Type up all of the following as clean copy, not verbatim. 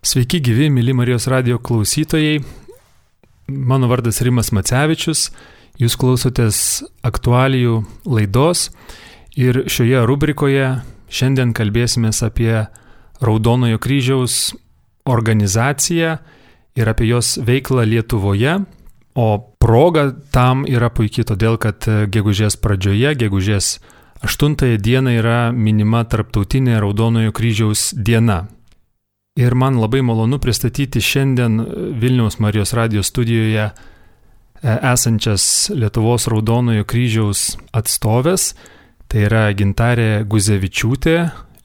Sveiki gyvi, mėly Marijos radijo klausytojai. Mano vardas Rimas Macevičius. Jūs klausotės aktualijų laidos ir šioje rubrikoje šiandien kalbėsimės apie Raudonojo kryžiaus organizaciją ir apie jos veiklą Lietuvoje. O proga tam yra puikiai todėl, kad gegužės pradžioje, gegužės 8 dieną yra minima Tarptautinė Raudonojo kryžiaus diena. Ir man labai malonu pristatyti šiandien Vilniaus Marijos radijo studijoje esančias Lietuvos Raudonojo kryžiaus atstovės. Tai yra Gintarė Guzevičiūtė,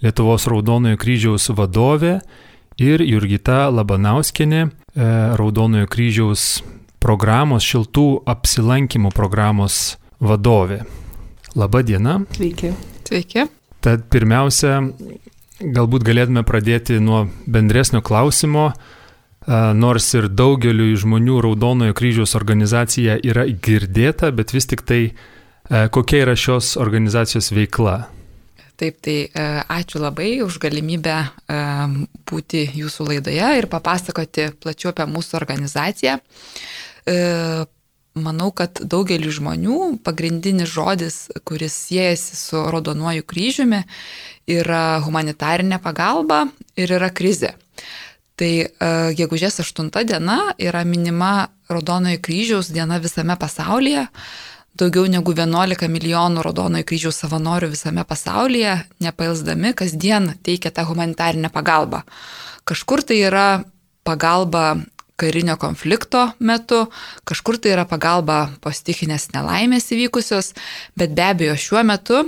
Lietuvos Raudonojo kryžiaus vadovė, ir Jurgita Labanauskienė, Raudonojo kryžiaus programos, šiltų apsilankymų programos vadovė. Labą dieną. Sveiki. Sveiki. Tad pirmiausia, galbūt galėtume pradėti nuo bendresnio klausimo, nors ir daugeliu žmonių Raudonojo kryžiaus organizacija yra girdėta, bet vis tik tai kokia yra šios organizacijos veikla? Taip, tai ačiū labai už galimybę būti jūsų laidoje ir papasakoti plačiau apie mūsų organizaciją. Manau, kad daugeliu žmonių pagrindinis žodis, kuris siejasi su Raudonuoju kryžiumi, yra humanitarinė pagalba ir yra krizė. Tai gegužės 8 diena yra minima Raudonojo kryžiaus diena visame pasaulyje. Daugiau negu 11 milijonų Raudonojo kryžiaus savanorių visame pasaulyje, nepailsdami, kasdien teikia tą humanitarinę pagalbą. Kažkur tai yra pagalba karinio konflikto metu, kažkur tai yra pagalba po stichinės nelaimės įvykusios, bet be abejo šiuo metu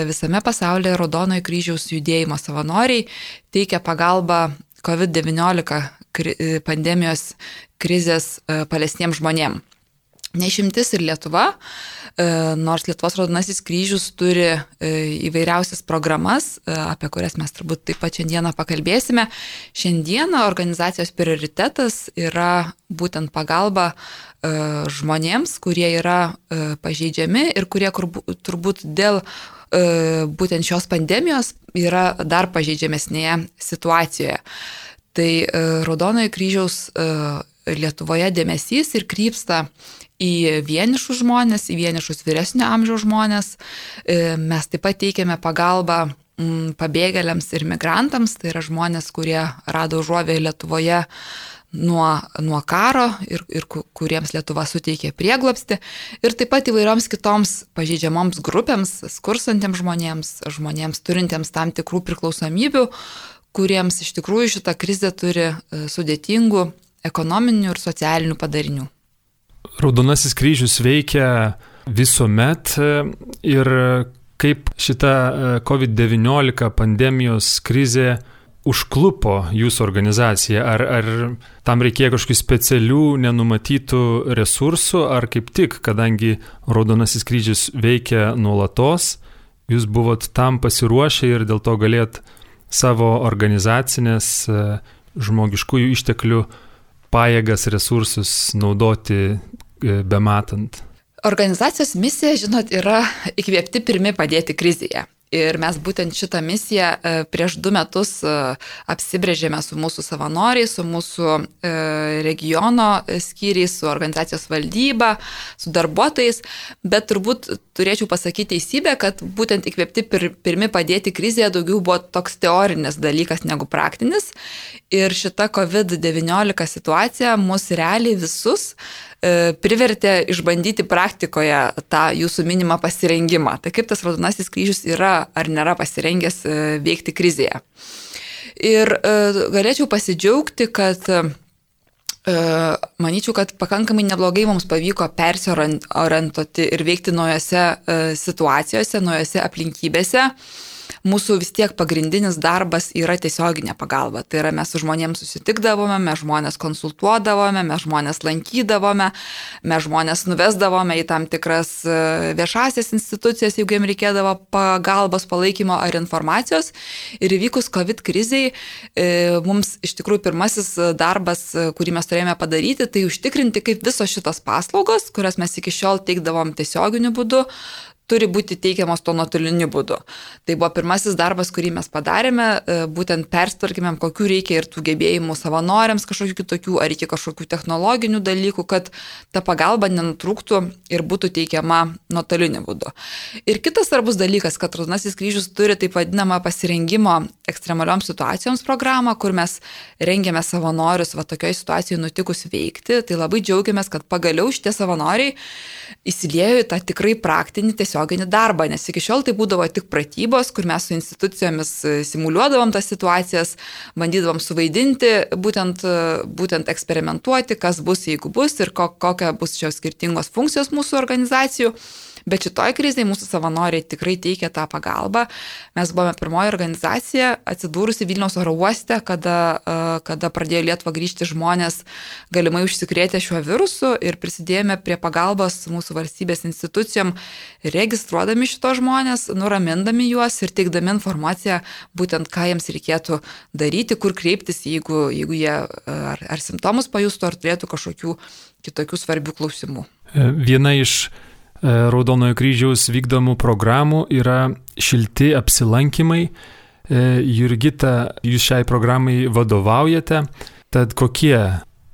visame pasaulyje Raudonojo kryžiaus judėjimo savanoriai teikia pagalbą COVID-19 pandemijos krizės paliestiems žmonėms. Neišimtis ir Lietuva, nors Lietuvos Raudonasis kryžius turi įvairiausias programas, apie kurias mes turbūt taip pat šiandieną pakalbėsime. Šiandieną organizacijos prioritetas yra būtent pagalba žmonėms, kurie yra pažeidžiami ir kurie turbūt dėl būtent šios pandemijos yra dar pažeidžiamesnėje situacijoje. Tai Raudonojo kryžiaus Lietuvoje dėmesys ir krypsta į vienišus žmonės, į vienišus vyresnio amžiaus žmonės. Mes taip pat teikiame pagalbą pabėgėliams ir migrantams, tai yra žmonės, kurie rado užuovėją Lietuvoje nuo karo ir kuriems Lietuva suteikė prieglobstį. Ir taip pat įvairioms kitoms pažeidžiamoms grupėms, skursantiems žmonėms turintiems tam tikrų priklausomybių, kuriems iš tikrųjų šita krizė turi sudėtingų ekonominių ir socialinių padarinių. Raudonasis kryžius veikia visuomet ir kaip šita COVID-19 pandemijos krizė užklupo jūsų organizaciją? Ar tam reikėjo kažkokių specialių, nenumatytų resursų, ar kaip tik, kadangi Raudonasis kryžius veikia nuolatos, jūs buvot tam pasiruošę ir dėl to galėt savo organizacinės žmogiškųjų išteklių pajėgas, resursus naudoti bematant? Organizacijos misija, žinot, yra įkvėpti pirmi padėti krizėje. Ir mes būtent šitą misiją prieš 2 metus apsibrėžėme su mūsų savanoriais, su mūsų regiono skyriais, su organizacijos valdyba, su darbuotojais, bet turbūt turėčiau pasakyti teisybę, kad būtent įkvėpti pirmi padėti krizėje daugiau buvo toks teorinis dalykas negu praktinis. Ir šita COVID-19 situacija mus realiai visus privertė išbandyti praktikoje tą jūsų minimą pasirengimą. Tai kaip tas Raudonasis kryžius yra ar nėra pasirengęs veikti krizėje. Ir galėčiau pasidžiaugti, kad manyčiau, kad pakankamai neblogai mums pavyko persiorientuoti ir veikti naujose situacijose, naujose aplinkybėse. Mūsų vis tiek pagrindinis darbas yra tiesioginė pagalba. Tai yra mes su žmonėms susitikdavome, mes žmonės konsultuodavome, mes žmonės lankydavome, mes žmonės nuvesdavome į tam tikras viešasias institucijas, jeigu jiems reikėdavo pagalbos, palaikymo ar informacijos. Ir įvykus COVID kriziai, mums iš tikrųjų pirmasis darbas, kurį mes turėjome padaryti, tai užtikrinti, kaip visos šitos paslaugos, kurias mes iki šiol teikdavom tiesioginiu būdu, turi būti teikiamos tuo nuotoliniu būdu. Tai buvo pirmasis darbas, kurį mes padarėme, būtent persitvarkėmėm, kokių reikia ir tų gebėjimų savanoriams, kažkokių kitokių, ar reikia kažkokių technologinių dalykų, kad ta pagalba nenutrūktų ir būtų teikiama nuotoliniu būdu. Ir kitas svarbus dalykas, kad Raudonasis kryžius turi taip vadinamą pasirengimo ekstremalioms situacijoms programą, kur mes rengiame savanorius tokioje situacijoje nutikus veikti. Tai labai džiaugiamės, kad pagaliau šitie savanoriai įsiliejo į tą tikrai praktinį tiesioginį darbą, nes iki šiol tai būdavo tik pratybos, kur mes su institucijomis simuliuodavom tas situacijas, bandydavom suvaidinti, būtent eksperimentuoti, kas bus, jeigu bus ir kokia bus šios skirtingos funkcijos mūsų organizacijų. Bet šitoj krizėje mūsų savanoriai tikrai teikia tą pagalbą. Mes buvome pirmoji organizacija atsidūrusi Vilniaus oro uoste, kada pradėjo Lietuvą grįžti žmonės galimai užsikrėtę šiuo virusu ir prisidėjome prie pagalbos mūsų valstybės institucijom, registruodami šitos žmonės, nuramindami juos ir teikdami informaciją, būtent ką jiems reikėtų daryti, kur kreiptis, jeigu jie ar simptomus pajustų, ar turėtų kažkokių kitokių svarbių klausimų. Viena iš Raudonojo kryžiaus vykdomų programų yra šilti apsilankymai. Jurgita, jūs šiai programai vadovaujate, tad kokie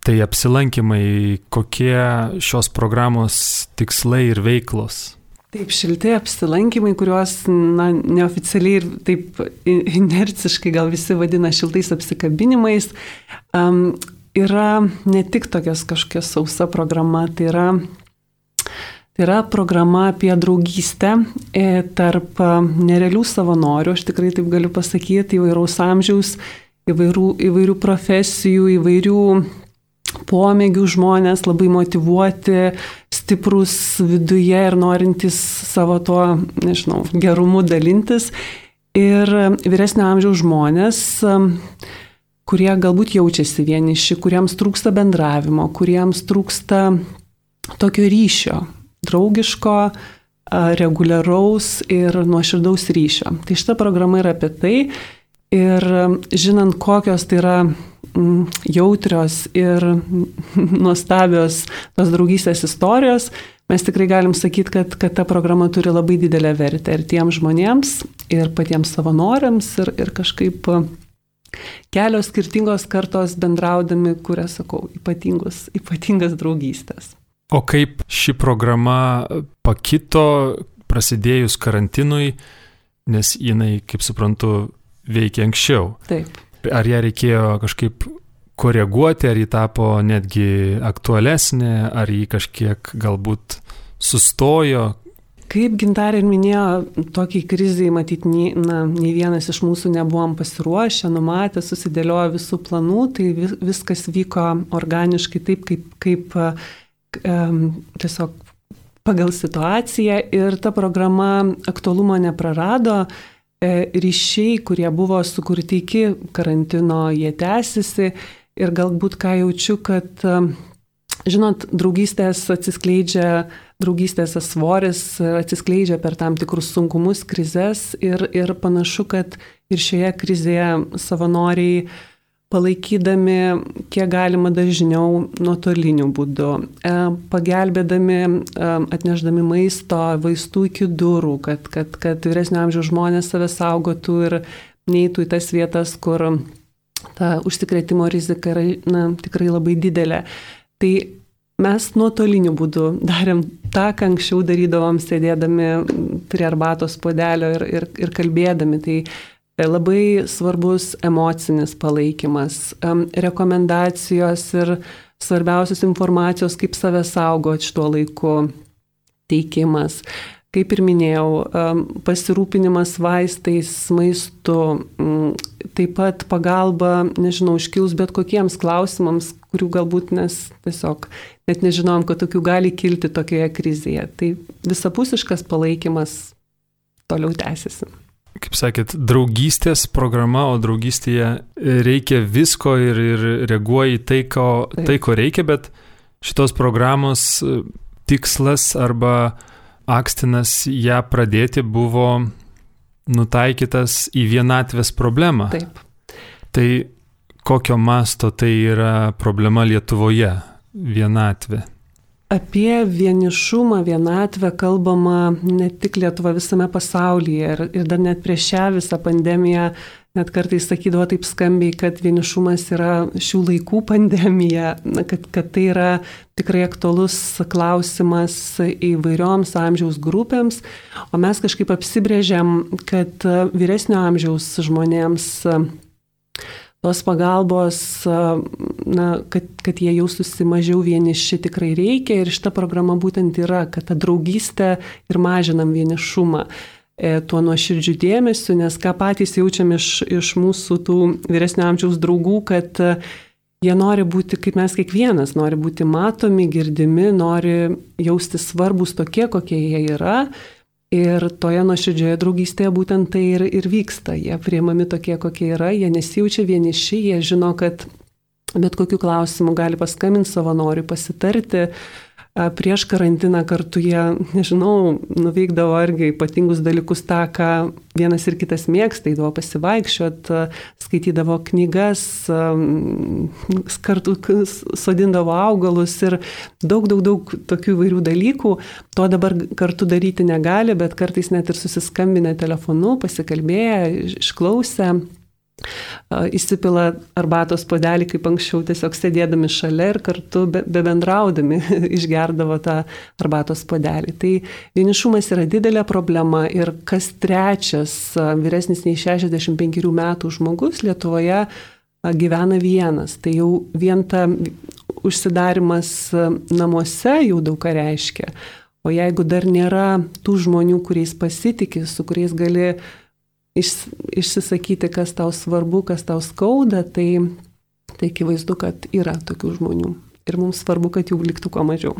tai apsilankymai, kokie šios programos tikslai ir veiklos? Taip, šilti apsilankymai, kuriuos neoficialiai ir taip inerciškai gal visi vadina šiltais apsikabinimais, yra ne tik tokias kažkokia sausa programa, tai yra programa apie draugystę tarp nerealių savanorių, aš tikrai taip galiu pasakyti, įvairaus amžiaus, įvairių profesijų, įvairių pomėgių žmonės, labai motyvuoti, stiprus viduje ir norintys savo tuo, gerumu dalintis. Ir vyresnio amžiaus žmonės, kurie galbūt jaučiasi vieniši, kuriems trūksta bendravimo, kuriems trūksta tokio ryšio, draugiško, reguliaraus ir nuoširdaus ryšio. Tai šita programa yra apie tai ir žinant, kokios tai yra jautrios ir nuostabios tos draugystės istorijos, mes tikrai galim sakyti, kad ta programa turi labai didelę vertę ir tiems žmonėms, ir patiems savanoriams, ir kažkaip kelios skirtingos kartos bendraudami, kuria, sakau, ypatingas draugystės. O kaip ši programa pakito prasidėjus karantinui, nes jinai, kaip suprantu, veikia anksčiau? Taip. Ar ją reikėjo kažkaip koreguoti, ar ji tapo netgi aktualesnė, ar ji kažkiek galbūt sustojo? Kaip Gintarė ir minėjo, tokiai krizai matyti nei vienas iš mūsų nebuvom pasiruošę, numatę, susidėliojo visų planų, tai viskas vyko organiškai taip, kaip tiesiog pagal situaciją ir ta programa aktualumo neprarado, ryšiai, kurie buvo sukurti iki karantino, jie tęsiasi ir galbūt ką jaučiu, kad, žinot, draugystės svoris atsiskleidžia per tam tikrus sunkumus, krizes ir panašu, kad ir šioje krizėje savanoriai palaikydami kiek galima dažniau nuotoliniu būdu, pagelbėdami, atnešdami maisto, vaistų iki durų, kad vyresnio amžiaus žmonės save saugotų ir neįtų į tas vietas, kur ta užsikrėtimo rizika yra tikrai labai didelė. Tai mes nuotoliniu būdu darėm tą, ką anksčiau darydavom, sėdėdami prie arbatos puodelio ir kalbėdami. Tai labai svarbus emocinis palaikymas, rekomendacijos ir svarbiausios informacijos, kaip save saugoti šituo laiku teikimas. Kaip ir minėjau, pasirūpinimas vaistais, maistu, taip pat pagalba, iškilus bet kokiems klausimams, kurių galbūt mes tiesiog net nežinom, kad tokių gali kilti tokioje krizėje. Tai visapusiškas palaikymas toliau tęsiasi. Kaip sakėt, draugystės programa, o draugystėje reikia visko ir reaguoja į tai, ko reikia, bet šitos programos tikslas arba akstinas ją pradėti buvo nutaikytas į vienatvės problemą. Taip. Tai kokio masto tai yra problema Lietuvoje, vienatvė? Apie vienišumą, vienatvę kalbama ne tik Lietuva, visame pasaulyje. Ir dar net prieš šią visą pandemiją net kartais sakydavo taip skambiai, kad vienišumas yra šių laikų pandemija, kad tai yra tikrai aktualus klausimas įvairioms amžiaus grupėms. O mes kažkaip apsibrėžiam, kad vyresnio amžiaus žmonėms tos pagalbos, kad jie jaustųsi mažiau vieniši, tikrai reikia. Ir šita programa būtent yra, kad ta draugystė ir mažinam vienišumą tuo nuoširdžiu dėmesiu, nes ką patys jaučiam iš mūsų tų vyresnio amžiaus draugų, kad jie nori būti, kaip mes kiekvienas, nori būti matomi, girdimi, nori jausti svarbus tokie, kokie jie yra. Ir toje nuoširdžioje draugystėje būtent tai ir vyksta. Jie priimami tokie, kokie yra, jie nesijaučia vieniši, jie žino, kad bet kokiu klausimu gali paskambinti savanoriui, pasitarti. Prieš karantiną kartu jie, nežinau, nuveikdavo argi ypatingus dalykus tą, ką vienas ir kitas mėgsta, eidavo pasivaikščiot, skaitydavo knygas, kartu sodindavo augalus ir daug tokių įvairių dalykų. To dabar kartu daryti negali, bet kartais net ir susiskambinę telefonu, pasikalbėję, išklausę. Įsipila arbatos puodelį, kaip anksčiau, tiesiog sėdėdami šalia ir kartu bebendraudami išgerdavo tą arbatos puodelį. Tai vienišumas yra didelė problema ir kas trečias vyresnis nei 65 metų žmogus Lietuvoje gyvena vienas. Tai jau vien ta užsidarimas namuose jau daug ką reiškia. O jeigu dar nėra tų žmonių, kuriais pasitikė, su kuriais gali išsisakyti, kas tau svarbu, kas tau skauda, tai akivaizdu, kad yra tokių žmonių. Ir mums svarbu, kad jų liktų kuo mažiau.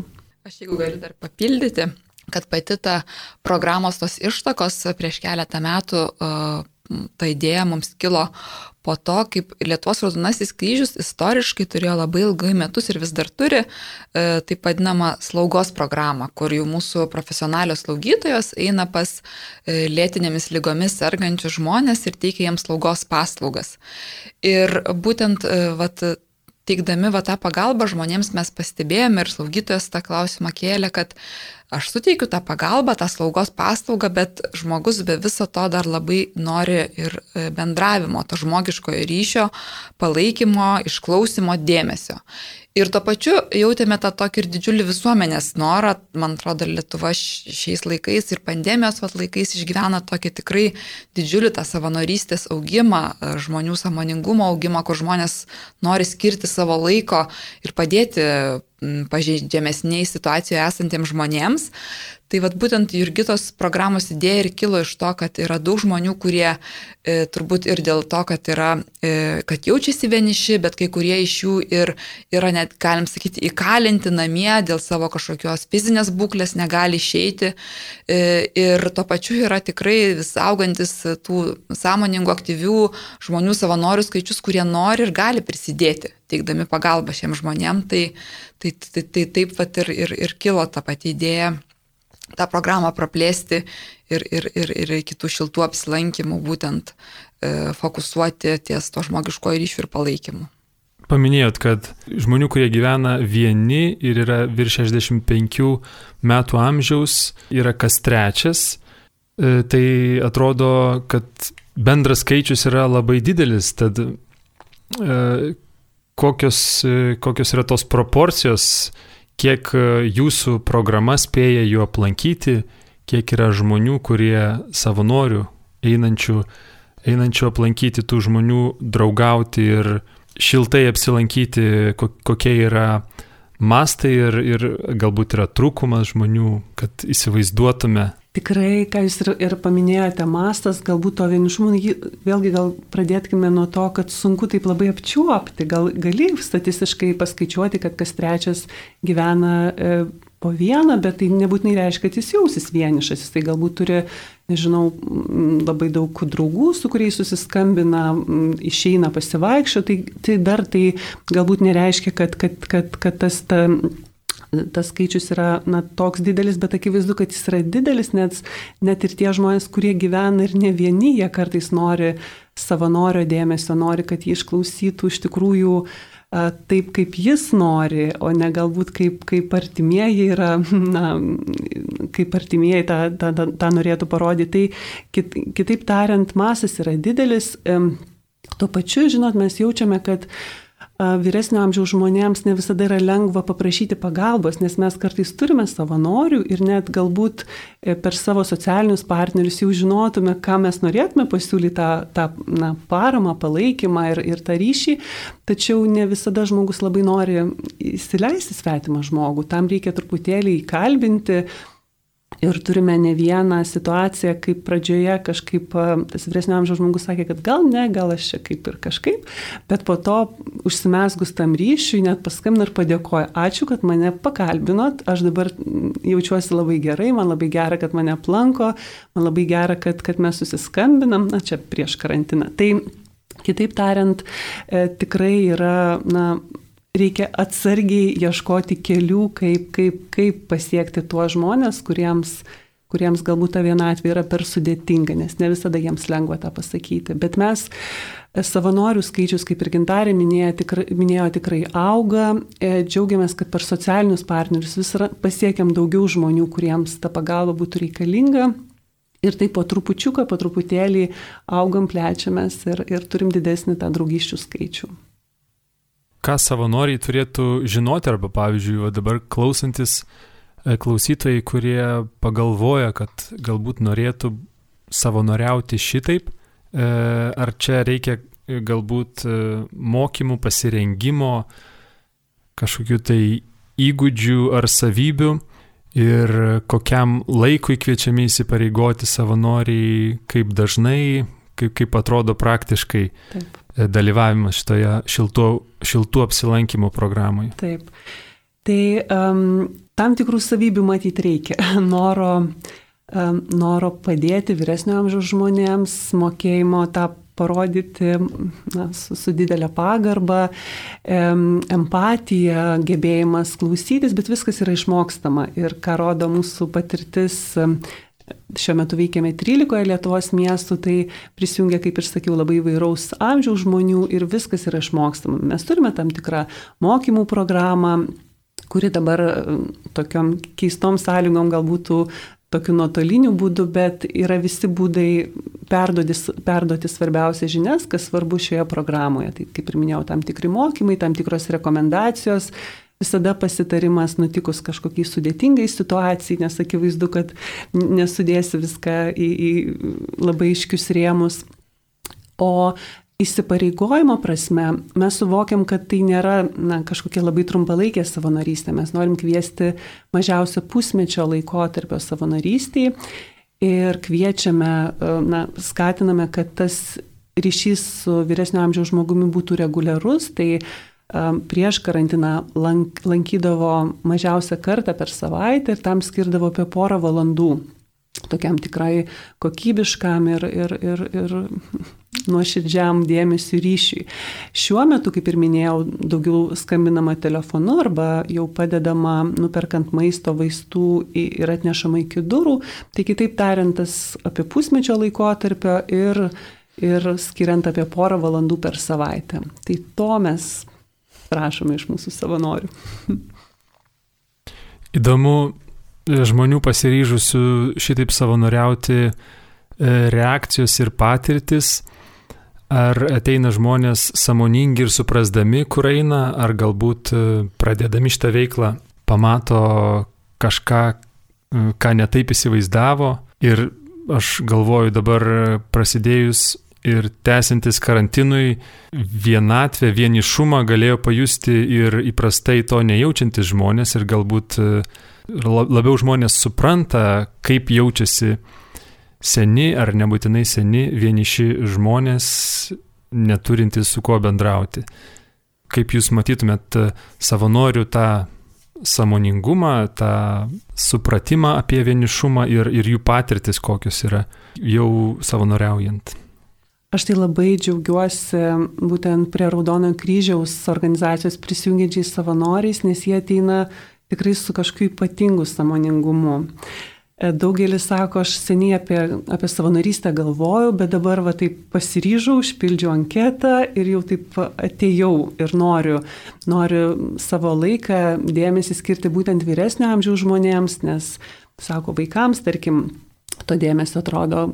Aš jeigu galiu dar papildyti, kad pati ta programos tos ištakos prieš keletą metų ta idėja mums kilo po to, kaip Lietuvos Raudonasis kryžius istoriškai turėjo labai ilgai metus ir vis dar turi taip vadinamą slaugos programą, kur jau mūsų profesionalios slaugytojos eina pas lėtinėmis ligomis sergančius žmonės ir teikia jiems slaugos paslaugas. Ir būtent teikdami tą pagalbą žmonėms mes pastebėjome ir slaugytojas tą klausimą kėlė, kad aš suteikiu tą pagalbą, tą slaugos paslaugą, bet žmogus be viso to dar labai nori ir bendravimo, to žmogiškojo ryšio, palaikymo, išklausimo, dėmesio. Ir tuo pačiu jautėme tą tokį ir didžiulį visuomenės norą, man atrodo, Lietuva šiais laikais ir pandemijos laikais išgyvena tokį tikrai didžiulį tą savanorystės augimą, žmonių sąmoningumo augimą, kur žmonės nori skirti savo laiko ir padėti pažeidžiamesniai situacijoje esantiems žmonėms. Tai būtent Jurgitos programos idėja ir kilo iš to, kad yra daug žmonių, kurie turbūt ir dėl to, kad jaučiasi vieniši, bet kai kurie iš jų ir yra net, galim sakyti, įkalinti namie dėl savo kažkokios fizinės būklės, negali išeiti. Ir tuo pačiu yra tikrai vis augantis tų sąmoningų, aktyvių žmonių savanorių skaičius, kurie nori ir gali prisidėti, teikdami pagalbą šiems žmonėms. Tai taip ir kilo ta pati idėja tą programą praplėsti ir kitų šiltų apsilankymų būtent fokusuoti ties to žmogiškojo ryšių ir palaikymu. Paminėjot, kad žmonių, kurie gyvena vieni ir yra virš 65 metų amžiaus, yra kas trečias. Tai atrodo, kad bendras skaičius yra labai didelis, tad kokios yra tos proporcijos, kiek jūsų programa spėja jų aplankyti, kiek yra žmonių, kurie savanorių einančių aplankyti tų žmonių, draugauti ir šiltai apsilankyti, kokie yra mastai ir galbūt yra trūkumas žmonių, kad įsivaizduotume. Tikrai, ką jūs ir paminėjote, mastas, galbūt to vienišumo, vėlgi gal pradėtkime nuo to, kad sunku taip labai apčiuopti, gali statistiškai paskaičiuoti, kad kas trečias gyvena po vieną, bet tai nebūtinai reiškia, kad jis jausis vienišas, jis tai galbūt turi, nežinau, labai daug draugų, su kuriais susiskambina, išeina pasivaikščioti, tai dar tai galbūt nereiškia, kad tas skaičius yra toks didelis, bet akivaizdu, kad jis yra didelis, net ir tie žmonės, kurie gyvena ir ne vieni, jie kartais nori savanorio dėmesio, nori, kad jį išklausytų iš tikrųjų taip, kaip jis nori, o ne galbūt kaip artimieji yra, kaip artimieji tą norėtų parodyti. Tai kitaip tariant, masas yra didelis. Tuo pačiu, žinot, mes jaučiame, kad vyresnio amžiaus žmonėms ne visada yra lengva paprašyti pagalbos, nes mes kartais turime savanorių ir net galbūt per savo socialinius partnerius jau žinotume, ką mes norėtume pasiūlyti tą paramą, palaikymą ir tą ryšį, tačiau ne visada žmogus labai nori įsileisti svetimą žmogų, tam reikia truputėlį įkalbinti. Ir turime ne vieną situaciją, kaip pradžioje kažkaip tas vyresnio amžiaus žmogus sakė, kad gal aš čia kaip ir kažkaip, bet po to užsimesgus tam ryšiui net paskambino ir padėkojo. Ačiū, kad mane pakalbinot, aš dabar jaučiuosi labai gerai, man labai gera, kad mane aplanko, man labai gera, kad mes susiskambinam, čia prieš karantiną. Tai kitaip tariant, tikrai yra, reikia atsargiai ieškoti kelių, kaip pasiekti tuos žmonės, kuriems galbūt ta vienatvė yra per sudėtinga, nes ne visada jiems lengva tą pasakyti. Bet mes savanorių skaičius, kaip ir Gintarė minėjo, tikrai auga. Džiaugiamės, kad per socialinius partnerius vis pasiekiam daugiau žmonių, kuriems ta pagalba būtų reikalinga. Ir taip po trupučiuką, po truputėlį augam, plečiamės ir turim didesnį tą draugysčių skaičių. Ką savanoriai turėtų žinoti, arba pavyzdžiui, dabar klausantis klausytojai, kurie pagalvoja, kad galbūt norėtų savanoriauti šitaip, ar čia reikia galbūt mokymų, pasirengimo, kažkokių tai įgūdžių ar savybių ir kokiam laikui kviečiami įsipareigoti savanoriai, kaip dažnai, kaip atrodo praktiškai. Taip. Dalyvavimas šitoje šiltų apsilankymų programoje. Taip. Tai tam tikrų savybių matyti reikia. Noro padėti vyresnio amžiaus žmonėms, mokėjimo tą parodyti su didelė pagarba, empatija, gebėjimas klausytis, bet viskas yra išmokstama. Ir ką rodo mūsų patirtis, šiuo metu veikiame 13 Lietuvos miestų, tai prisijungia, kaip ir sakiau, labai įvairaus amžiaus žmonių ir viskas yra išmokstama. Mes turime tam tikrą mokymų programą, kuri dabar tokiom keistom sąlygom galbūt tokiu nuotoliniu būdu, bet yra visi būdai perduoti svarbiausias žinias, kas svarbu šioje programoje. Tai, kaip ir minėjau, tam tikri mokymai, tam tikros rekomendacijos, visada pasitarimas nutikus kažkokiai sudėtingai situacijai, nes akivaizdu, kad nesudėsi viską į labai aiškius rėmus. O įsipareigojimo prasme mes suvokiam, kad tai nėra kažkokia labai trumpalaikė savanorystė. Mes norim kviesti mažiausia pusmečio laikotarpio savanorystėje ir kviečiame, skatiname, kad tas ryšys su vyresnio amžiaus žmogumi būtų reguliarus. Tai prieš karantiną lankydavo mažiausią kartą per savaitę ir tam skirdavo apie porą valandų tokiam tikrai kokybiškam ir nuoširdžiam dėmesiu ryšiui. Šiuo metu, kaip ir minėjau, daugiau skambinama telefonu arba jau padedama nuperkant maisto, vaistų ir atnešama iki durų. Tai kitaip tariant, tas apie pusmečio laikotarpio ir skiriant apie porą valandų per savaitę. Tai to mes prašome iš mūsų savanorių. Įdomu, žmonių pasiryžusių šitaip savanoriauti reakcijos ir patirtis, ar ateina žmonės sąmoningi ir suprasdami, kur eina, ar galbūt pradėdami šitą veiklą pamato kažką, ką netaip įsivaizdavo. Ir aš galvoju, dabar prasidėjus ir tęsiantis karantinui, vienatvę, vienišumą galėjo pajusti ir įprastai to nejaučiantis žmonės ir galbūt labiau žmonės supranta, kaip jaučiasi seni ar nebūtinai seni vieniši žmonės, neturintys su kuo bendrauti. Kaip jūs matytumėt savanorių tą sąmoningumą, tą supratimą apie vienišumą ir jų patirtis, kokios yra jau savanoriaujant? Aš tai labai džiaugiuosi būtent prie Raudonojo kryžiaus organizacijos prisijungiančiais savanoriais, nes jie ateina tikrai su kažkokiu ypatingu sąmoningumu. Daugelis sako, aš seniai apie savanorystę galvojau, bet dabar va taip pasiryžau, užpildžiau anketą ir jau taip atėjau ir noriu savo laiką, dėmesį skirti būtent vyresnio amžiaus žmonėms, nes, sako, vaikams, tarkim, to dėmesio atrodo,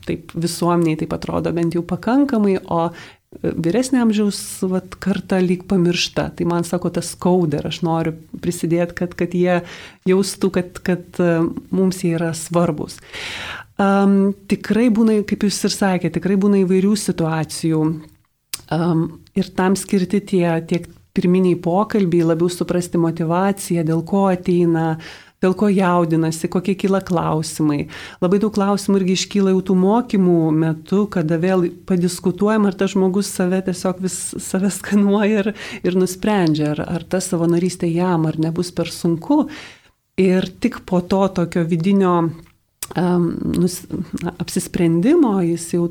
taip visuomeniai taip atrodo bent jau pakankamai, o vyresnio amžiaus karta lyg pamiršta. Tai man sako, tas skauda ir aš noriu prisidėti, kad jie jaustų, kad mums jie yra svarbus. Tikrai būna, kaip jūs ir sakėte, tikrai būna įvairių situacijų. Ir tam skirti tiek pirminiai pokalbiai, labiau suprasti motivaciją, dėl ko ateina, dėl ko jaudinasi, kokie kyla klausimai. Labai daug klausimų irgi iškyla jau tų mokymų metu, kada vėl padiskutuojam, ar tas žmogus save skanuoja ir nusprendžia, ar ta savanorystė jam, ar nebus per sunku. Ir tik po to tokio vidinio apsisprendimo jis jau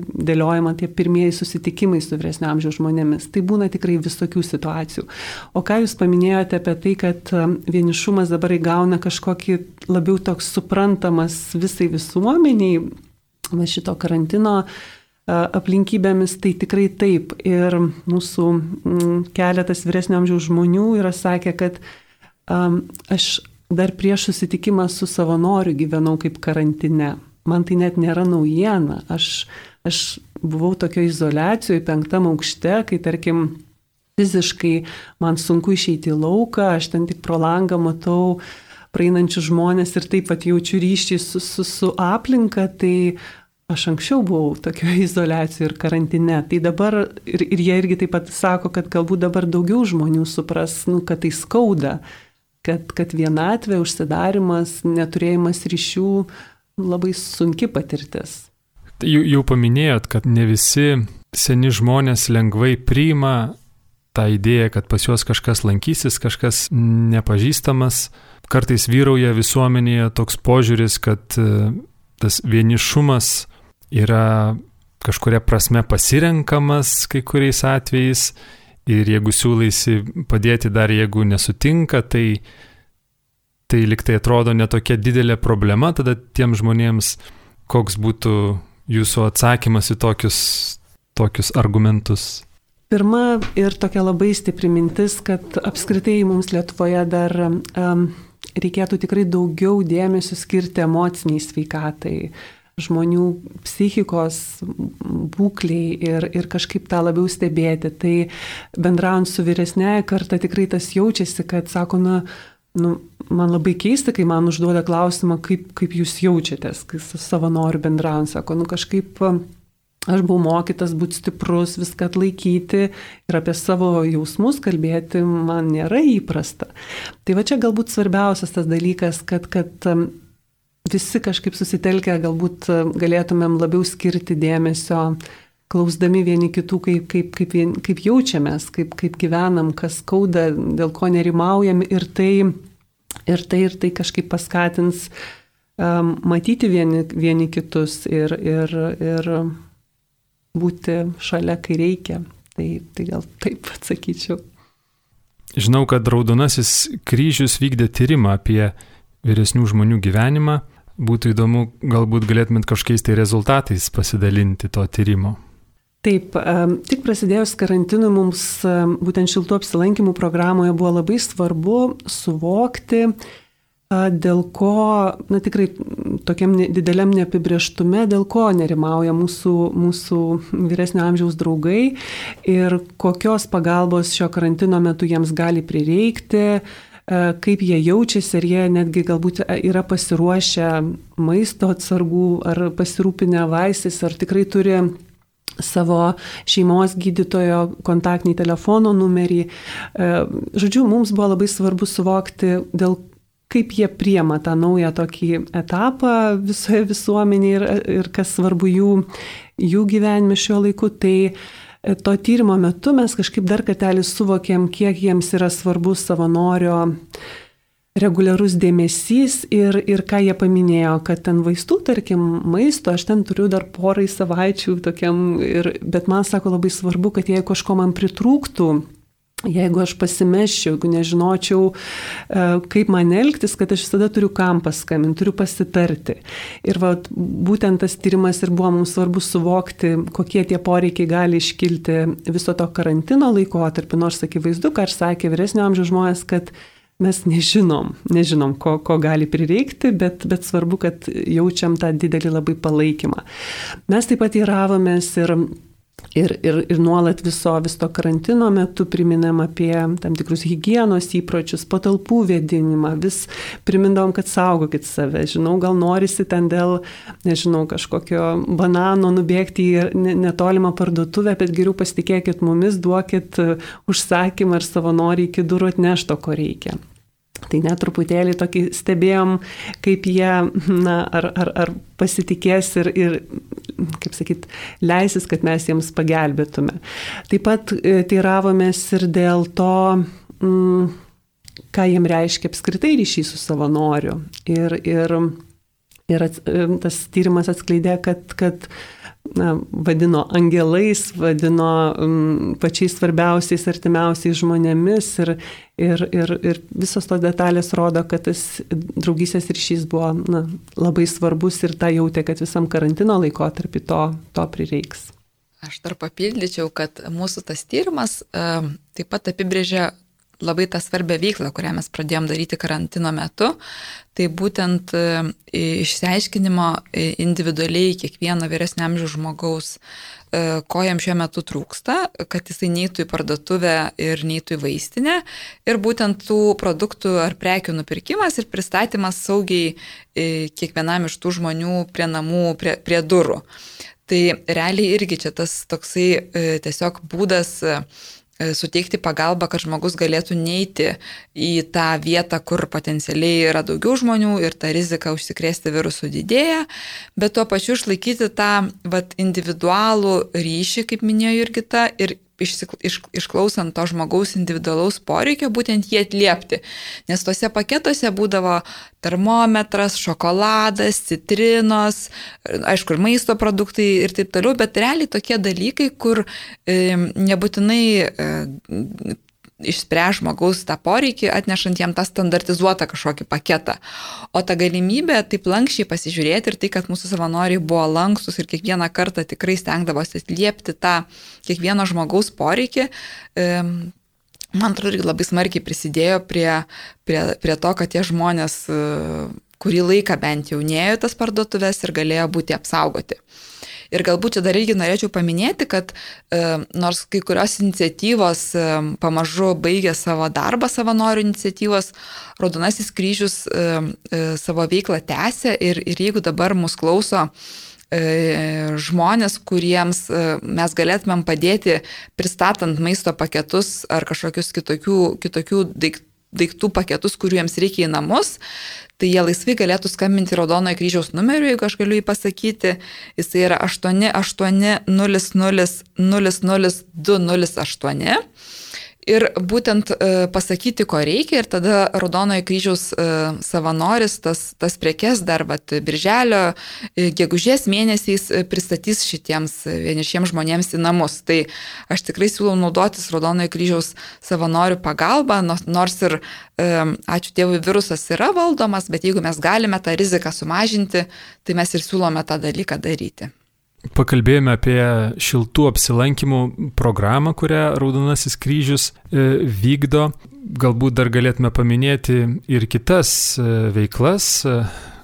dėliojama tie pirmieji susitikimai su vyresnio amžiaus žmonėmis. Tai būna tikrai visokių situacijų. O ką jūs paminėjote apie tai, kad vienišumas dabar įgauna kažkokį labiau toks suprantamas visai visuomeniai, šito karantino aplinkybėmis, tai tikrai taip. Ir mūsų keletas vyresnio amžiaus žmonių yra sakę, kad aš dar prieš susitikimą su savanoriu gyvenau kaip karantine. Man tai net nėra naujiena. Aš buvau tokio izoliacijoje 5. aukšte, kai, tarkim, fiziškai man sunku išeiti į lauką, aš ten tik pro langą matau praeinančius žmonės ir taip pat jaučiu ryšį su aplinka, tai aš anksčiau buvau tokio izoliacijoje ir karantine. Tai dabar, ir jie irgi taip pat sako, kad galbūt dabar daugiau žmonių supras, kad tai skauda. Kad vienatvė, užsidarimas, neturėjimas ryšių labai sunki patirtis. Jau paminėjot, kad ne visi seni žmonės lengvai priima tą idėją, kad pas juos kažkas lankysis, kažkas nepažįstamas. Kartais vyrauja visuomenėje toks požiūris, kad tas vienišumas yra kažkuria prasme pasirenkamas kai kuriais atvejais. Ir jeigu siūlaisi padėti dar, jeigu nesutinka, tai liktai atrodo netokia didelė problema, tada tiem žmonėms koks būtų jūsų atsakymas į tokius argumentus? Pirma ir tokia labai stipri mintis, kad apskritai mums Lietuvoje dar reikėtų tikrai daugiau dėmesio skirti emociniai sveikatai, žmonių psichikos būkliai ir kažkaip tą labiau stebėti. Tai bendraujant su vyresnėje karta tikrai tas jaučiasi, kad sako, man labai keista, kai man užduoda klausimą, kaip jūs jaučiatės, kai su savanoriu bendraujant, sako, kažkaip aš buvau mokytas būti stiprus, viską atlaikyti ir apie savo jausmus kalbėti man nėra įprasta. Tai va čia galbūt svarbiausias tas dalykas, kad visi kažkaip susitelkę, galbūt galėtumėm labiau skirti dėmesio, klausdami vieni kitų, kaip jaučiamės, kaip gyvenam, kas skauda, dėl ko nerimaujam ir tai kažkaip paskatins matyti vieni kitus ir būti šalia, kai reikia. Tai gal taip atsakyčiau. Žinau, kad Raudonasis kryžius vykdė tyrimą apie vyresnių žmonių gyvenimą. Būtų įdomu, galbūt galėtumėt kažkokiais tai rezultatais pasidalinti to tyrimo. Taip, tik prasidėjus karantinui mums būtent šiltų apsilankymų programoje buvo labai svarbu suvokti, dėl ko, tikrai tokiam dideliam neapibrėžtume, dėl ko nerimauja mūsų vyresnio amžiaus draugai ir kokios pagalbos šio karantino metu jiems gali prireikti, kaip jie jaučiasi, ar jie netgi galbūt yra pasiruošę maisto atsargų, ar pasirūpinę vaistais, ar tikrai turi savo šeimos gydytojo kontaktinį telefono numerį. Žodžiu, mums buvo labai svarbu suvokti, kaip jie priema tą naują tokį etapą visoje visuomenėje ir kas svarbu jų gyvenime šiuo laiku. Tai to tyrimo metu mes kažkaip dar kartelį suvokėm, kiek jiems yra svarbus savanorio reguliarus dėmesys ir ką jie paminėjo, kad ten vaistų, tarkim, maisto, aš ten turiu dar porai savaičių tokiam, bet man sako labai svarbu, kad jeigu kažko man pritrūktų, Jeigu aš pasimeščiau, jeigu nežinočiau, kaip man elgtis, kad aš visada turiu kam paskambinti, turiu pasitarti. Ir būtent tas tyrimas ir buvo mums svarbu suvokti, kokie tie poreikiai gali iškilti viso to karantino laikotarpį, nors akivaizdu, ką aš sakė vyresnio amžiaus žmonės, kad mes nežinom, ko gali prireikti, bet svarbu, kad jaučiam tą didelį labai palaikymą. Mes taip pat įravomės ir nuolat viso karantino metu priminam apie tam tikrus higienos įpročius, patalpų vėdinimą, vis primindavom, kad saugokit save. Žinau, gal norisi ten dėl, kažkokio banano nubėgti į netolimą parduotuvę, bet geriau pasitikėkit mumis, duokit užsakymą ir savanoriai iki durų atneš to, ko reikia. Tai net truputėlį tokį stebėjom, kaip jie, ar pasitikės ir kaip sakyt, leisis, kad mes jiems pagelbėtume. Taip pat teiravomės ir dėl to, ką jiem reiškia apskritai ryšys su savanoriu. Ir tas tyrimas atskleidė, kad vadino angelais, vadino pačiais svarbiausiais, artimiausiais žmonėmis ir visos tos detalės rodo, kad tas draugystės ryšys buvo labai svarbus ir tą jautė, kad visam karantino laikotarpį to prireiks. Aš dar papildyčiau, kad mūsų tas tyrimas taip pat apibrėžia labai tą svarbę veiklą, kurią mes pradėjom daryti karantino metu. Tai būtent išsiaiškinimo individualiai kiekvieno vyresnio amžiaus žmogaus, ko jam šiuo metu trūksta, kad jisai neitų į parduotuvę ir neitų į vaistinę. Ir būtent tų produktų ar prekių nupirkimas ir pristatymas saugiai kiekvienam iš tų žmonių prie namų, prie durų. Tai realiai irgi čia tas toksai tiesiog būdas suteikti pagalbą, kad žmogus galėtų neiti į tą vietą, kur potencialiai yra daugiau žmonių ir ta rizika užsikrėsti virusų didėja, bet tuo pačiu išlaikyti tą individualų ryšį, kaip minėjo Jurgita, ir išklausant to žmogaus individualaus poreikio, būtent jį atliepti. Nes tose paketuose būdavo termometras, šokoladas, citrinos, aišku, ir maisto produktai ir taip toliau, bet realiai tokie dalykai, kur nebūtinai išspręs žmogaus tą poreikį, atnešant jam tą standartizuotą kažkokį paketą. O ta galimybė taip lankščiai pasižiūrėti ir tai, kad mūsų savanoriai buvo lankstus ir kiekvieną kartą tikrai stengdavosi atliepti tą kiekvieno žmogaus poreikį, man atrodo, irgi labai smarkiai prisidėjo prie to, kad tie žmonės kurį laiką bent jau nėjo tas parduotuvės ir galėjo būti apsaugoti. Ir galbūt čia dar irgi norėčiau paminėti, kad nors kai kurios iniciatyvos pamažu baigė savo darbą, savanorių iniciatyvos, Raudonasis kryžius savo veiklą tęsia ir jeigu dabar mus klauso žmonės, kuriems mes galėtumėm padėti pristatant maisto paketus ar kažkokius kitokių daiktų paketus, kurių jiems reikia į namus, tai jie laisvai galėtų skambinti Raudonojo kryžiaus numeriu, jeigu aš galiu jį pasakyti. Jis yra 8800 208. Ir būtent pasakyti, ko reikia, ir tada Raudonojo kryžiaus savanoris tas prekes dar birželio, gegužės mėnesiais pristatys šitiems vienišiems žmonėms į namus. Tai aš tikrai siūlau naudotis Raudonojo kryžiaus savanorių pagalba, nors ir, ačiū Dievui, virusas yra valdomas, bet jeigu mes galime tą riziką sumažinti, tai mes ir siūlome tą dalyką daryti. Pakalbėjome apie šiltų apsilankimų programą, kurią Raudonasis kryžius vykdo. Galbūt dar galėtume paminėti ir kitas veiklas,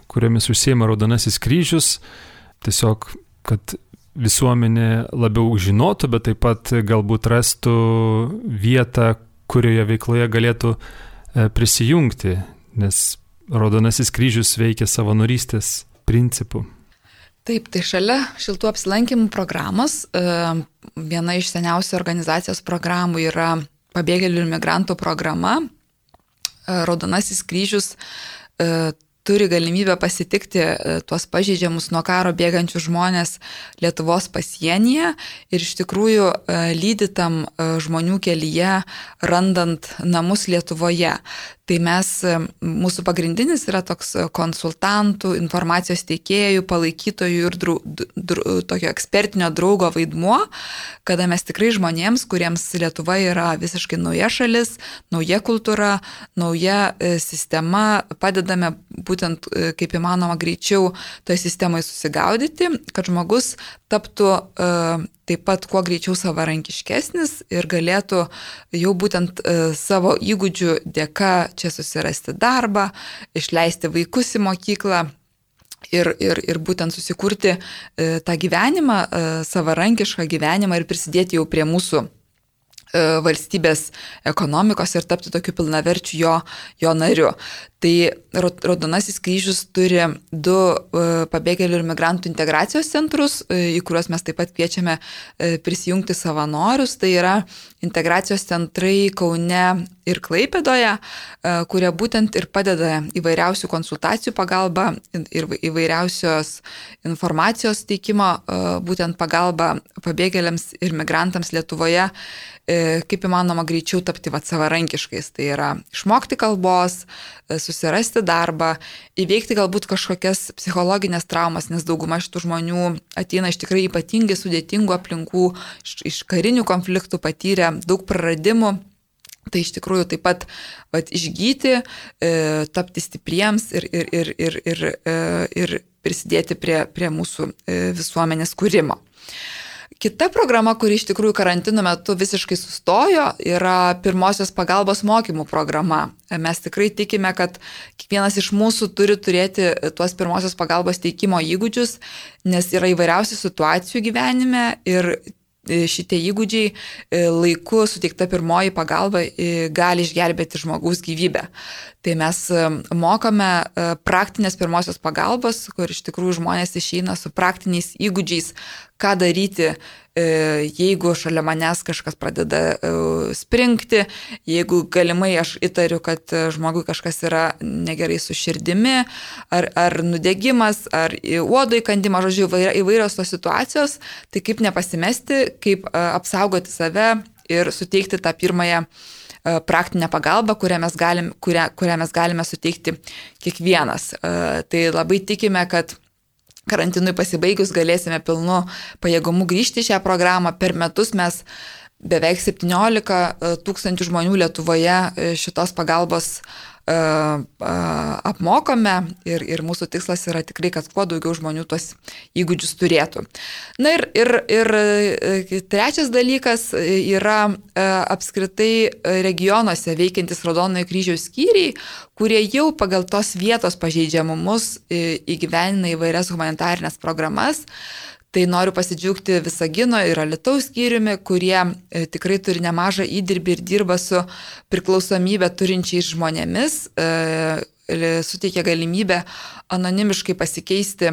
kuriomis užsiima Raudonasis kryžius. Tiesiog, kad visuomenė labiau žinotų, bet taip pat galbūt rastų vietą, kurioje veikloje galėtų prisijungti, nes Raudonasis kryžius veikia savanorystės principu. Taip, tai šalia šiltų apsilankimų programos, viena iš seniausių organizacijos programų yra pabėgėlių ir migrantų programa. Raudonasis kryžius turi galimybę pasitikti tuos pažeidžiamus nuo karo bėgančius žmonės Lietuvos pasienyje ir iš tikrųjų lydi tam žmonių kelyje, randant namus Lietuvoje. Tai mūsų pagrindinis yra toks konsultantų, informacijos teikėjų, palaikytojų ir tokio ekspertinio draugo vaidmuo, kada mes tikrai žmonėms, kuriems Lietuva yra visiškai nauja šalis, nauja kultūra, nauja sistema, padedame būtent kaip įmanoma greičiau toje sistemoje susigaudyti, kad žmogus taptų taip pat kuo greičiau savarankiškesnis ir galėtų jau būtent savo įgūdžių dėka čia susirasti darbą, išleisti vaikus į mokyklą ir būtent susikurti tą gyvenimą, savarankišką gyvenimą ir prisidėti jau prie mūsų valstybės ekonomikos ir tapti tokiu pilnaverčiu jo nariu. Tai Raudonasis kryžius turi 2 pabėgėlių ir migrantų integracijos centrus, į kuriuos mes taip pat kviečiame prisijungti savanorius. Tai yra integracijos centrai Kaune ir Klaipėdoje, kurie būtent ir padeda įvairiausių konsultacijų pagalba ir įvairiausios informacijos teikimo, būtent pagalba pabėgėliams ir migrantams Lietuvoje, kaip įmanoma greičiau tapti savarankiškais. Tai yra išmokti kalbos, susirasti darbą, įveikti galbūt kažkokias psichologinės traumas, nes dauguma šitų žmonių ateina iš tikrai ypatingai sudėtingų aplinkų, iš karinių konfliktų patyrę daug praradimų. Tai iš tikrųjų taip pat išgyti, tapti stipriems ir prisidėti prie mūsų visuomenės kūrimo. Kita programa, kuri iš tikrųjų karantino metu visiškai sustojo, yra pirmosios pagalbos mokymų programa. Mes tikrai tikime, kad kiekvienas iš mūsų turi turėti tuos pirmosios pagalbos teikimo įgūdžius, nes yra įvairiausių situacijų gyvenime ir šitie įgūdžiai laiku suteikta pirmoji pagalba gali išgelbėti žmogaus gyvybę. Tai mes mokame praktinės pirmosios pagalbos, kur iš tikrųjų žmonės išeina su praktiniais įgūdžiais, ką daryti, jeigu šalia manęs kažkas pradeda springti, jeigu galimai aš įtariu, kad žmogui kažkas yra negerai su širdimi, ar nudegimas, ar uodo įkandimas, žodžiu, įvairios tos situacijos, tai kaip nepasimesti, kaip apsaugoti save ir suteikti tą pirmąją praktinę pagalbą, kurią mes galime suteikti kiekvienas. Tai labai tikime, kad karantinui pasibaigus galėsime pilnu pajėgumu grįžti į šią programą. Per metus mes beveik 17 tūkstančių žmonių Lietuvoje šitos pagalbos apmokome ir mūsų tikslas yra tikrai, kad kuo daugiau žmonių tuos įgūdžius turėtų. Na ir trečias dalykas yra apskritai regionuose veikiantis Raudonojo kryžiaus skyriai, kurie jau pagal tos vietos pažeidžiamumus įgyvenina įvairias humanitarinės programas. Tai noriu pasidžiaugti Visagino ir Alytaus skyriumi, kurie tikrai turi nemažą įdirbį ir dirba su priklausomybę turinčiais žmonėmis, suteikia galimybę anonimiškai pasikeisti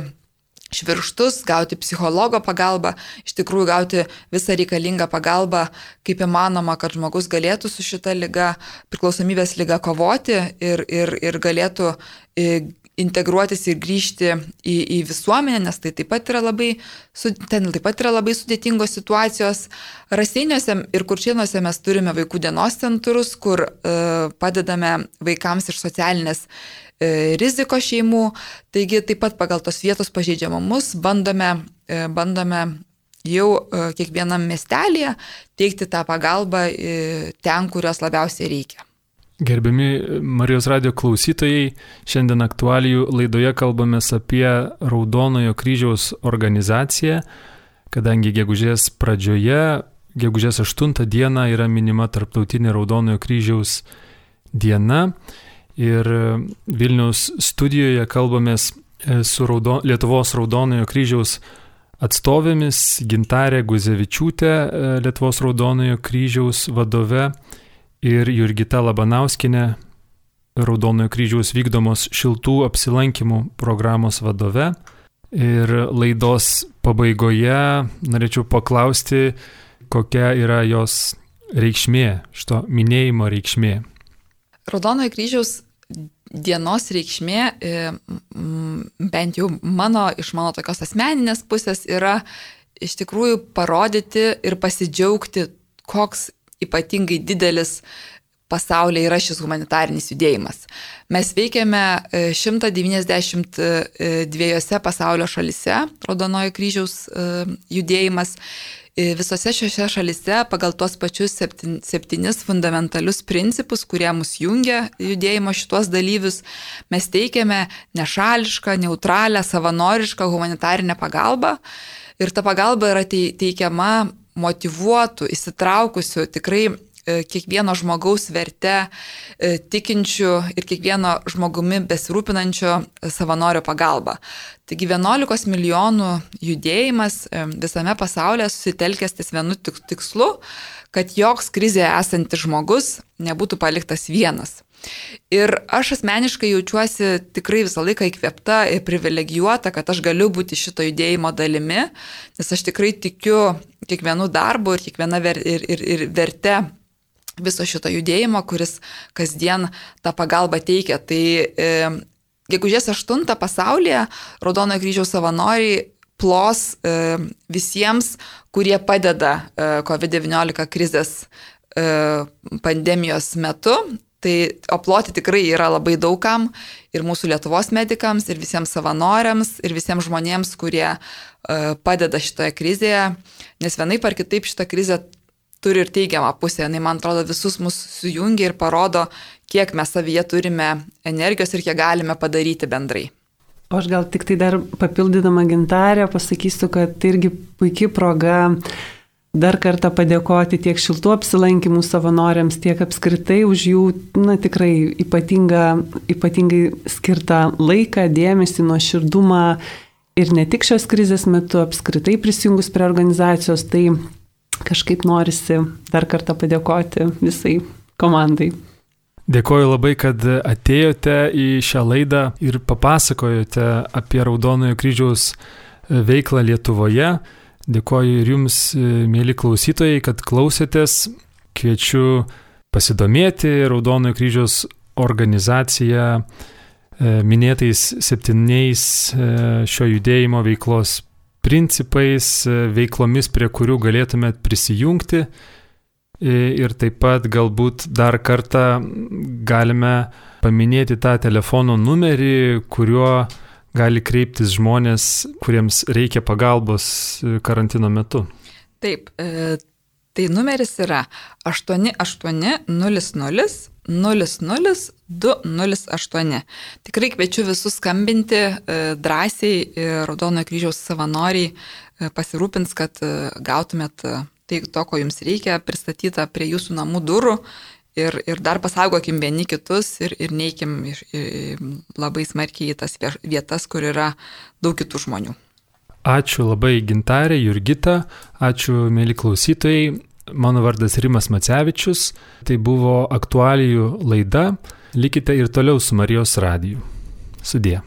švirkštus, gauti psichologo pagalbą, iš tikrųjų gauti visą reikalingą pagalbą, kaip įmanoma, kad žmogus galėtų su šita liga, priklausomybės liga kovoti ir galėtų integruotis ir grįžti į visuomenę, nes tai taip pat yra labai sudėtingos situacijos. Raseiniuose ir Kuršėnuose mes turime vaikų dienos centrus, kur padedame vaikams iš socialinės rizikos šeimų. Taigi taip pat pagal tos vietos pažeidžiamumus bandome jau kiekvienam miestelėje teikti tą pagalbą ten, kurios labiausiai reikia. Gerbiami Marijos radijo klausytojai, šiandien aktualijų laidoje kalbamės apie Raudonojo kryžiaus organizaciją, kadangi gegužės pradžioje, gegužės 8 dieną yra minima Tarptautinė Raudonojo kryžiaus diena ir Vilniaus studijoje kalbamės su Lietuvos Raudonojo kryžiaus atstovėmis Gintarė Guzevičiūtė, Lietuvos Raudonojo kryžiaus vadove, ir Jurgita Labanauskinė, Raudonojo kryžiaus vykdomos šiltų apsilankymų programos vadove. Ir laidos pabaigoje norėčiau paklausti, kokia yra jos reikšmė, šito minėjimo reikšmė. Raudonojo kryžiaus dienos reikšmė, bent jau iš mano tokios asmeninės pusės, yra iš tikrųjų parodyti ir pasidžiaugti, koks ypatingai didelis pasaulyje yra šis humanitarinis judėjimas. Mes veikiame 192 pasaulio šalise, Raudonojo kryžiaus judėjimas. Visose šiose šalise pagal tuos pačius 7 fundamentalius principus, kurie mus jungia judėjimo šitos dalyvius, mes teikiame nešališką, neutralią, savanorišką humanitarinę pagalbą. Ir ta pagalba yra teikiama motyvuotų, įsitraukusių, tikrai kiekvieno žmogaus verte tikinčių ir kiekvieno žmogumi besirūpinančio savanorio pagalba. Taigi 11 milijonų judėjimas visame pasaulyje susitelkęs ties vienu tikslu, kad joks krizėje esantis žmogus nebūtų paliktas vienas. Ir aš asmeniškai jaučiuosi tikrai visą laiką įkvėpta ir privilegijuota, kad aš galiu būti šito judėjimo dalimi, nes aš tikrai tikiu kiekvienu darbu ir kiekviena verte viso šito judėjimo, kuris kasdien tą pagalbą teikia. Tai gegužės 8 pasaulyje Raudonojo kryžiaus savanoriai plos visiems, kurie padeda COVID-19 krizės pandemijos metu. Tai aploti tikrai yra labai daugam ir mūsų Lietuvos medikams, ir visiems savanoriams, ir visiems žmonėms, kurie padeda šitoje krizėje, nes vienaip ar kitaip šitą krizę turi ir teigiamą pusę. Man atrodo, visus mus sujungia ir parodo, kiek mes savyje turime energijos ir kiek galime padaryti bendrai. O aš gal tik tai dar papildydama Gintarę pasakysiu, kad tai irgi puikia proga dar kartą padėkoti tiek šiltų apsilankymų savanoriams, tiek apskritai už jų tikrai ypatingai skirtą laiką, dėmesį, nuoširdumą ir ne tik šios krizės metu, apskritai prisijungus prie organizacijos, tai kažkaip norisi dar kartą padėkoti visai komandai. Dėkoju labai, kad atėjote į šią laidą ir papasakojote apie Raudonojo kryžiaus veiklą Lietuvoje. Dėkoju ir jums, mėly klausytojai, kad klausėtės. Kviečiu pasidomėti Raudonojo kryžiaus organizacija minėtais 7 šio judėjimo veiklos principais, veiklomis, prie kurių galėtumėt prisijungti. Ir taip pat galbūt dar kartą galime paminėti tą telefono numerį, kuriuo gali kreiptis žmonės, kuriems reikia pagalbos karantino metu. Taip, tai numeris yra 8800 00 208. Tikrai kviečiu visus skambinti drąsiai, Raudonojo kryžiaus savanoriai pasirūpins, kad gautumėt tai to, ko jums reikia, pristatyta prie jūsų namų durų ir dar pasaugokim vieni kitus ir neikim labai smarkiai į tas vietas, kur yra daug kitų žmonių. Ačiū labai Gintarė, Jurgita, ačiū mėly klausytojai. Mano vardas Rimas Macevičius, tai buvo aktualijų laida, likite ir toliau su Marijos radiju. Sudie.